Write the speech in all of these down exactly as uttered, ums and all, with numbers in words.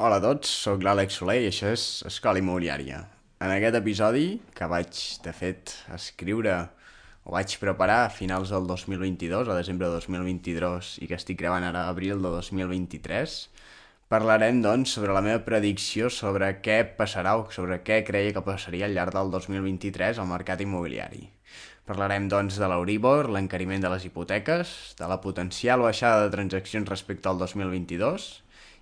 Hola a tots, sóc l'Àlex Soler i això és Escola Immobiliària. En aquest episodi, que vaig, de fet, escriure o vaig preparar a finals del dos mil vint-i-dos, a desembre de dos mil vint-i-dos, i que estic gravant ara a abril de dos mil vint-i-tres, parlarem, doncs, sobre la meva predicció sobre què passarà o sobre què creia que passaria al llarg del dos mil vint-i-tres al mercat immobiliari. Parlarem, doncs, de l'Euríbor, l'encariment de les hipoteques, de la potencial baixada de transaccions respecte al dos mil vint-i-dos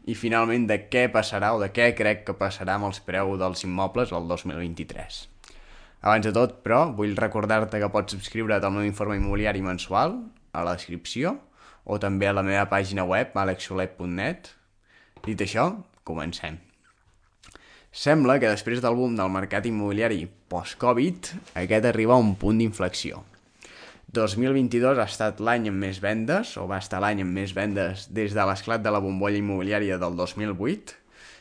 i, finalment, de què passarà o de què crec que passarà amb els preus dels immobles el dos mil vint-i-tres. Abans de tot, però, vull recordar-te que pots subscriure't al meu informe immobiliari mensual a la descripció o també a la meva pàgina web alex soler punt net. Dit això, comencem. Sembla que després del boom del mercat immobiliari post-Covid, aquest arriba a un punt d'inflexió. dos mil vint-i-dos ha estat l'any amb més vendes, o va estar l'any amb més vendes des de l'esclat de la bombolla immobiliària del dos mil vuit,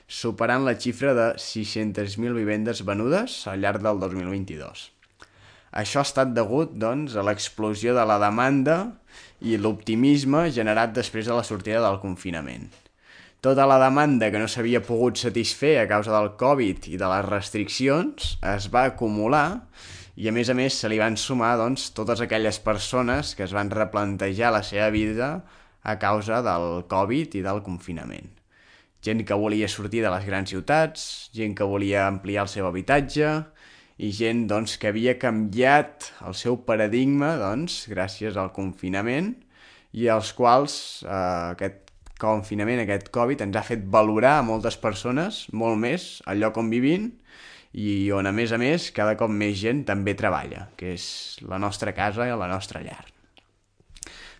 superant la xifra de sis-centes mil vivendes venudes al llarg del dos mil vint-i-dos. Això ha estat degut, doncs, a l'explosió de la demanda i l'optimisme generat després de la sortida del confinament. Tota la demanda que no s'havia pogut satisfer a causa del Covid i de les restriccions es va acumular i, a més a més, se li van sumar, doncs, totes aquelles persones que es van replantejar la seva vida a causa del Covid i del confinament. Gent que volia sortir de les grans ciutats, gent que volia ampliar el seu habitatge i gent, doncs, que havia canviat el seu paradigma, doncs, gràcies al confinament i als quals eh, aquest confinament, aquest Covid, ens ha fet valorar a moltes persones molt més el lloc on vivim i on, a més a més, cada cop més gent també treballa, que és la nostra casa i la nostra llar.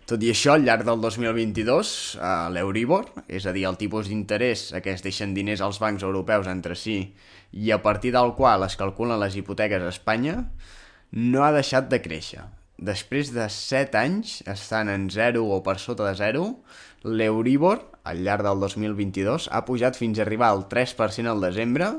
Tot i això, al llarg del dos mil vint-i-dos, eh, l'Euríbor, és a dir, el tipus d'interès a què es deixen diners als bancs europeus entre si i a partir del qual es calculen les hipoteques a Espanya, no ha deixat de créixer. Després de set anys, estant en zero o per sota de zero, l'Euríbor, al llarg del dos mil vint-i-dos, ha pujat fins a arribar al tres per cent al desembre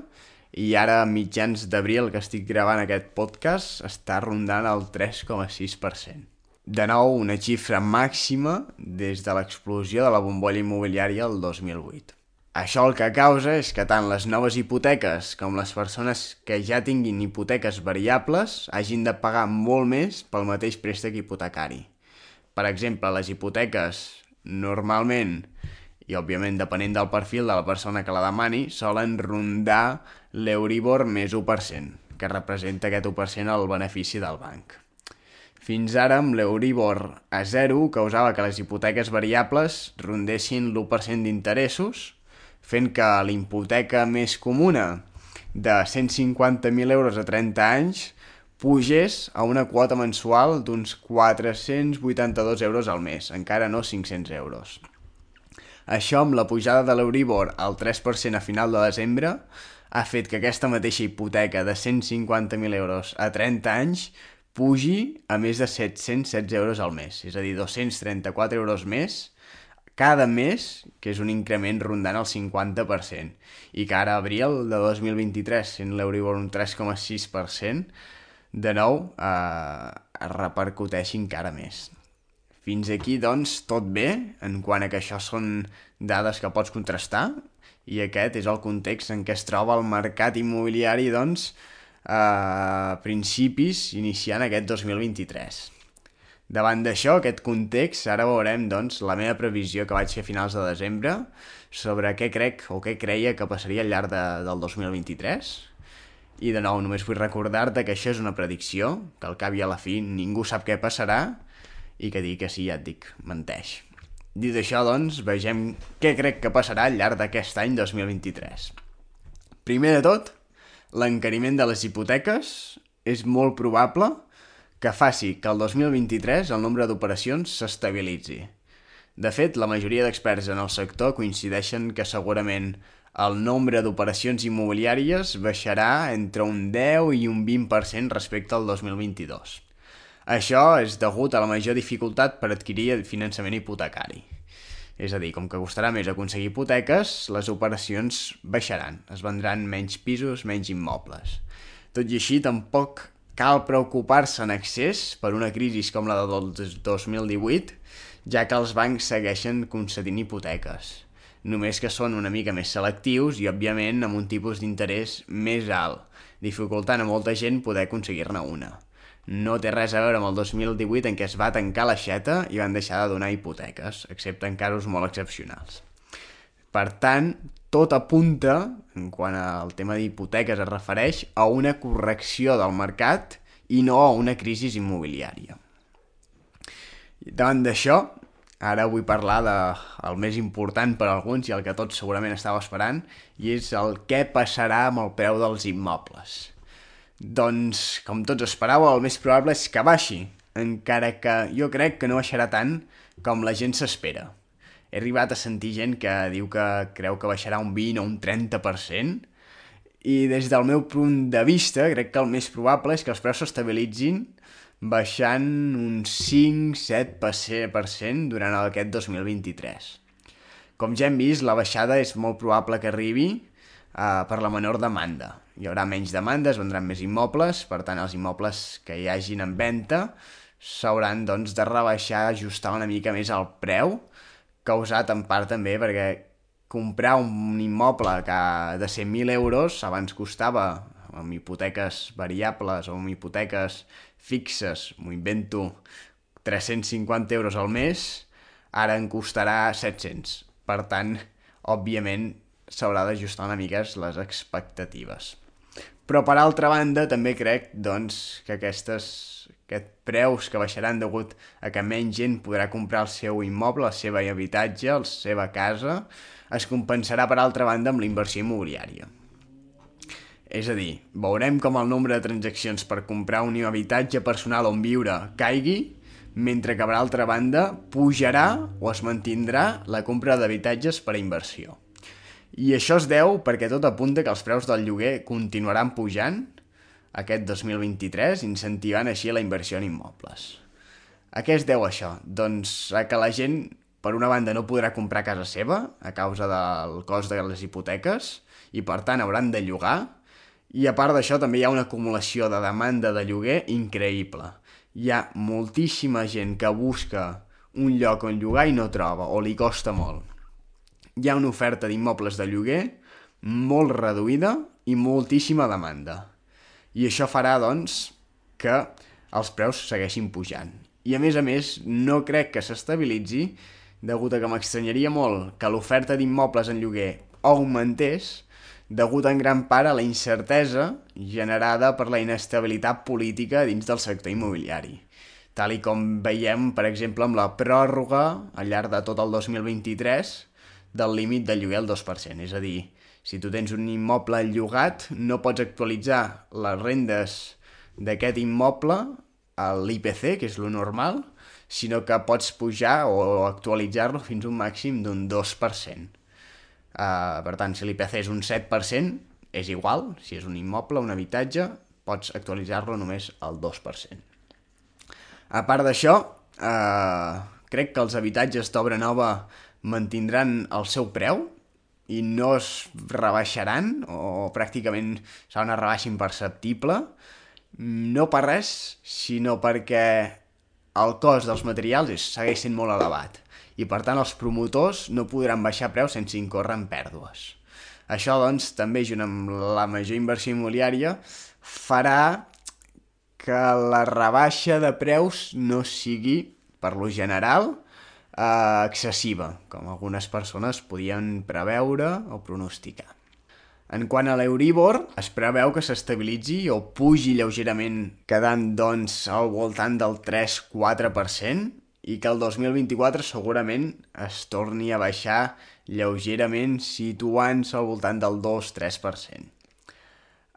i ara, a mitjans d'abril, que estic gravant aquest podcast, està rondant el tres coma sis per cent. De nou, una xifra màxima des de l'explosió de la bombolla immobiliària el dos mil vuit. Això el que causa és que tant les noves hipoteques com les persones que ja tinguin hipoteques variables hagin de pagar molt més pel mateix préstec hipotecari. Per exemple, les hipoteques normalment, i òbviament depenent del perfil de la persona que la demani, solen rondar l'Euríbor més u per cent, que representa aquest u per cent el benefici del banc. Fins ara, amb l'Euríbor a zero, causava que les hipoteques variables rondessin l'u per cent d'interessos, fent que la hipoteca més comuna de cent cinquanta mil euros a trenta anys pugés a una quota mensual d'uns quatre-cents vuitanta-dos euros al mes, encara no cinc-cents euros. Això, amb la pujada de l'Euríbor al tres per cent a final de desembre, ha fet que aquesta mateixa hipoteca de cent cinquanta mil euros a trenta anys pugi a més de set-cents setze euros al mes, és a dir, dos-cents trenta-quatre euros més cada mes, que és un increment rondant el cinquanta per cent, i que ara, a abril de dos mil vint-i-tres, sent l'Euríbor un tres coma sis per cent, de nou eh, es repercuteixi encara més. Fins aquí, doncs, tot bé, en quant a que això són dades que pots contrastar, i aquest és el context en què es troba el mercat immobiliari, doncs, a principis, iniciant aquest dos mil vint-i-tres. Davant d'això, aquest context, ara veurem, doncs, la meva previsió que vaig fer a finals de desembre sobre què crec o què creia que passaria al llarg de, del dos mil vint-i-tres. I, de nou, només vull recordar-te que això és una predicció, que al cap i a la fi ningú sap què passarà, i que dir que sí, ja et dic, menteix. Dit això, doncs, vegem què crec que passarà al llarg d'aquest any dos mil vint-i-tres. Primer de tot, l'encariment de les hipoteques és molt probable que faci que el dos mil vint-i-tres el nombre d'operacions s'estabilitzi. De fet, la majoria d'experts en el sector coincideixen que segurament el nombre d'operacions immobiliàries baixarà entre un deu i un vint per cent respecte al dos mil vint-i-dos. Això és degut a la major dificultat per adquirir finançament hipotecari. És a dir, com que costarà més aconseguir hipoteques, les operacions baixaran, es vendran menys pisos, menys immobles. Tot i així, tampoc cal preocupar-se en excés per una crisi com la del dos mil divuit, ja que els bancs segueixen concedint hipoteques. només que són una mica més selectius i, òbviament, amb un tipus d'interès més alt, dificultant a molta gent poder aconseguir-ne una. No té res a veure amb el dos mil divuit en què es va tancar l'aixeta i van deixar de donar hipoteques, excepte en casos molt excepcionals. Per tant, tot apunta, en quant al tema d'hipoteques es refereix, a una correcció del mercat i no a una crisi immobiliària. Davant d'això, ara vull parlar del més important per a alguns i el que tots segurament estàveu esperant, i és el què passarà amb el preu dels immobles. Doncs, com tots esperàveu, el més probable és que baixi, encara que jo crec que no baixarà tant com la gent s'espera. He arribat a sentir gent que diu que creu que baixarà un vint o un trenta per cent, i des del meu punt de vista crec que el més probable és que els preus s'estabilitzin baixant un cinc a set per cent durant aquest dos mil vint-i-tres. Com ja hem vist, la baixada és molt probable que arribi uh, per la menor demanda. Hi haurà menys demanda, es vendran més immobles, per tant els immobles que hi hagin en venda s'hauran doncs, de rebaixar, ajustar una mica més el preu, causat en part també perquè comprar un immoble que de cent mil euros abans costava, amb hipoteques variables o amb hipoteques fixes, m'ho invento, tres-cents cinquanta euros al mes, ara en costarà set-cents. Per tant, òbviament, s'haurà d'ajustar una mica les expectatives. Però, per altra banda, també crec doncs, que aquestes, aquests preus que baixaran degut a que menys gent podrà comprar el seu immoble, el seu habitatge, la seva casa, es compensarà, per altra banda, amb la inversió immobiliària. És a dir, veurem com el nombre de transaccions per comprar un habitatge personal on viure caigui, mentre que, per altra banda, pujarà o es mantindrà la compra d'habitatges per a inversió. I això es deu perquè tot apunta que els preus del lloguer continuaran pujant aquest dos mil vint-i-tres, incentivant així la inversió en immobles. A què es deu això? Doncs a que la gent, per una banda, no podrà comprar casa seva a causa del cost de les hipoteques i, per tant, hauran de llogar. I, a part d'això, també hi ha una acumulació de demanda de lloguer increïble. Hi ha moltíssima gent que busca un lloc on llogar i no troba, o li costa molt. Hi ha una oferta d'immobles de lloguer molt reduïda i moltíssima demanda. I això farà, doncs, que els preus segueixin pujant. I, a més a més, no crec que s'estabilitzi, degut a que m'estranyaria molt que l'oferta d'immobles en lloguer augmentés, degut en gran part a la incertesa generada per la inestabilitat política dins del sector immobiliari, tal i com veiem, per exemple, amb la pròrroga al llarg de tot el dos mil vint-i-tres del límit de lloguer al dos per cent. És a dir, si tu tens un immoble llogat, no pots actualitzar les rendes d'aquest immoble a l'I P C, que és lo normal, sinó que pots pujar o actualitzar-lo fins a un màxim d'un dos per cent. Uh, per tant, si l'I P C és un set per cent, és igual, si és un immoble, un habitatge, pots actualitzar-lo només al dos per cent. A part d'això, uh, crec que els habitatges d'obra nova mantindran el seu preu i no es rebaixaran, o pràcticament serà una rebaixa imperceptible, no per res, sinó perquè el cost dels materials és, segueix sent molt elevat i, per tant, els promotors no podran baixar preus sense incórrer en pèrdues. Això, doncs, també, junt amb la major inversió immobiliària, farà que la rebaixa de preus no sigui, per lo general, eh, excessiva, com algunes persones podien preveure o pronosticar. En quant a l'Euribor, es preveu que s'estabilitzi o pugi lleugerament, quedant, doncs, al voltant del tres a quatre per cent, i que el dos mil vint-i-quatre segurament es torni a baixar lleugerament, situant-se al voltant del dos a tres per cent.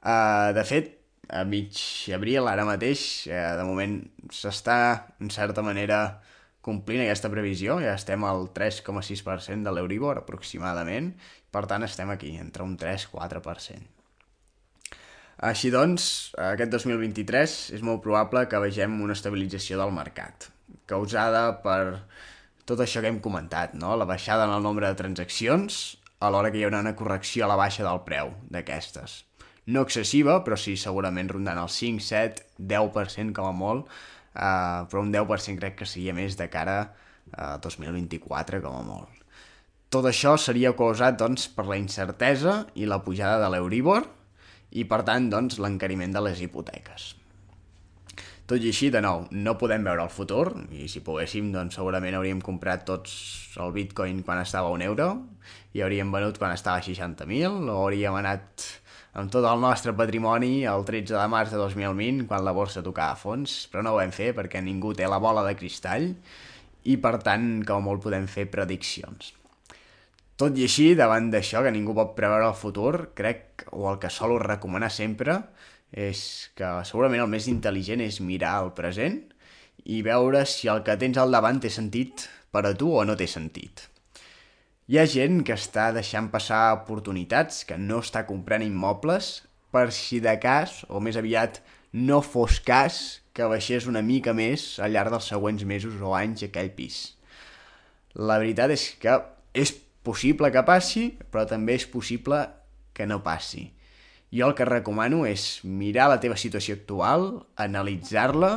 Uh, de fet, a mig abril, ara mateix, uh, de moment s'està, en certa manera, complint aquesta previsió. Ja estem al tres coma sis per cent de l'Euribor, aproximadament. Per tant, estem aquí, entre un tres a quatre per cent. Així doncs, aquest dos mil vint-i-tres és molt probable que vegem una estabilització del mercat, causada per tot això que hem comentat, no? La baixada en el nombre de transaccions, alhora que hi haurà una correcció a la baixa del preu d'aquestes. No excessiva, però sí segurament rondant el cinc, set, deu per cent com a molt, eh, però un deu per cent crec que seria més de cara a dos mil vint-i-quatre com a molt. Tot això seria causat doncs, per la incertesa i la pujada de l'Euríbor i, per tant, doncs, l'encariment de les hipoteques. Tot i així, de nou, no podem veure el futur, i si poguéssim, doncs segurament hauríem comprat tots el Bitcoin quan estava a un euro, i hauríem venut quan estava a seixanta mil, o hauríem anat amb tot el nostre patrimoni el tretze de març de dos mil vint, quan la borsa tocava a fons, però no ho vam fer perquè ningú té la bola de cristall, i per tant, com molt podem fer prediccions. Tot i així, davant d'això, que ningú pot preveure el futur, crec, o el que solo recomanar sempre, és que segurament el més intel·ligent és mirar el present i veure si el que tens al davant té sentit per a tu o no té sentit. Hi ha gent que està deixant passar oportunitats, que no està comprant immobles, per si de cas, o més aviat no fos cas, que baixés una mica més al llarg dels següents mesos o anys aquell pis. La veritat és que és possible que passi, però també és possible que no passi. Jo el que recomano és mirar la teva situació actual, analitzar-la,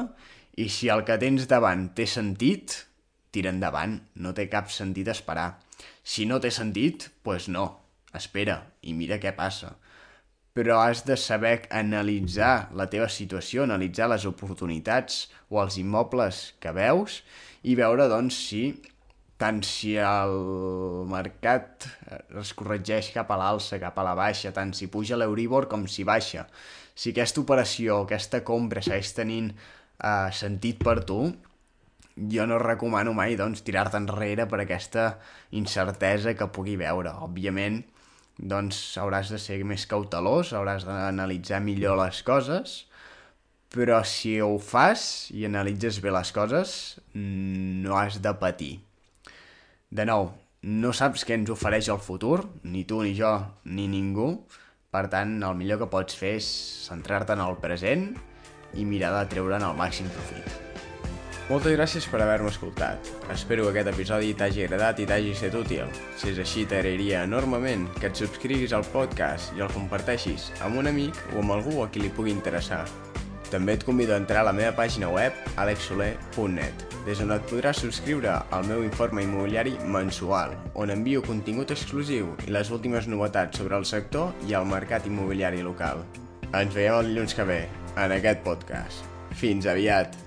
i si el que tens davant té sentit, tira endavant, no té cap sentit esperar. Si no té sentit, doncs no, espera i mira què passa. Però has de saber analitzar la teva situació, analitzar les oportunitats o els immobles que veus i veure, doncs, si tant si el mercat es corregeix cap a l'alça, cap a la baixa, tant si puja l'Euríbor com si baixa. Si aquesta operació, aquesta compra segueix tenint eh, sentit per tu, jo no recomano mai doncs, tirar-te enrere per aquesta incertesa que pugui veure. Òbviament, doncs, hauràs de ser més cautelós, hauràs d'analitzar millor les coses, però si ho fas i analitzes bé les coses, no has de patir. De nou, no saps què ens ofereix el futur, ni tu, ni jo, ni ningú. Per tant, el millor que pots fer és centrar-te en el present i mirar de treure'n el màxim profit. Moltes gràcies per haver-me escoltat. Espero que aquest episodi t'hagi agradat i t'hagi estat útil. Si és així, t'agrairia enormement que et subscriguis al podcast i el comparteixis amb un amic o amb algú a qui li pugui interessar. També et convido a entrar a la meva pàgina web alex soler punt net, des on et podràs subscriure al meu informe immobiliari mensual, on envio contingut exclusiu i les últimes novetats sobre el sector i el mercat immobiliari local. Ens veiem el dilluns que ve, en aquest podcast. Fins aviat!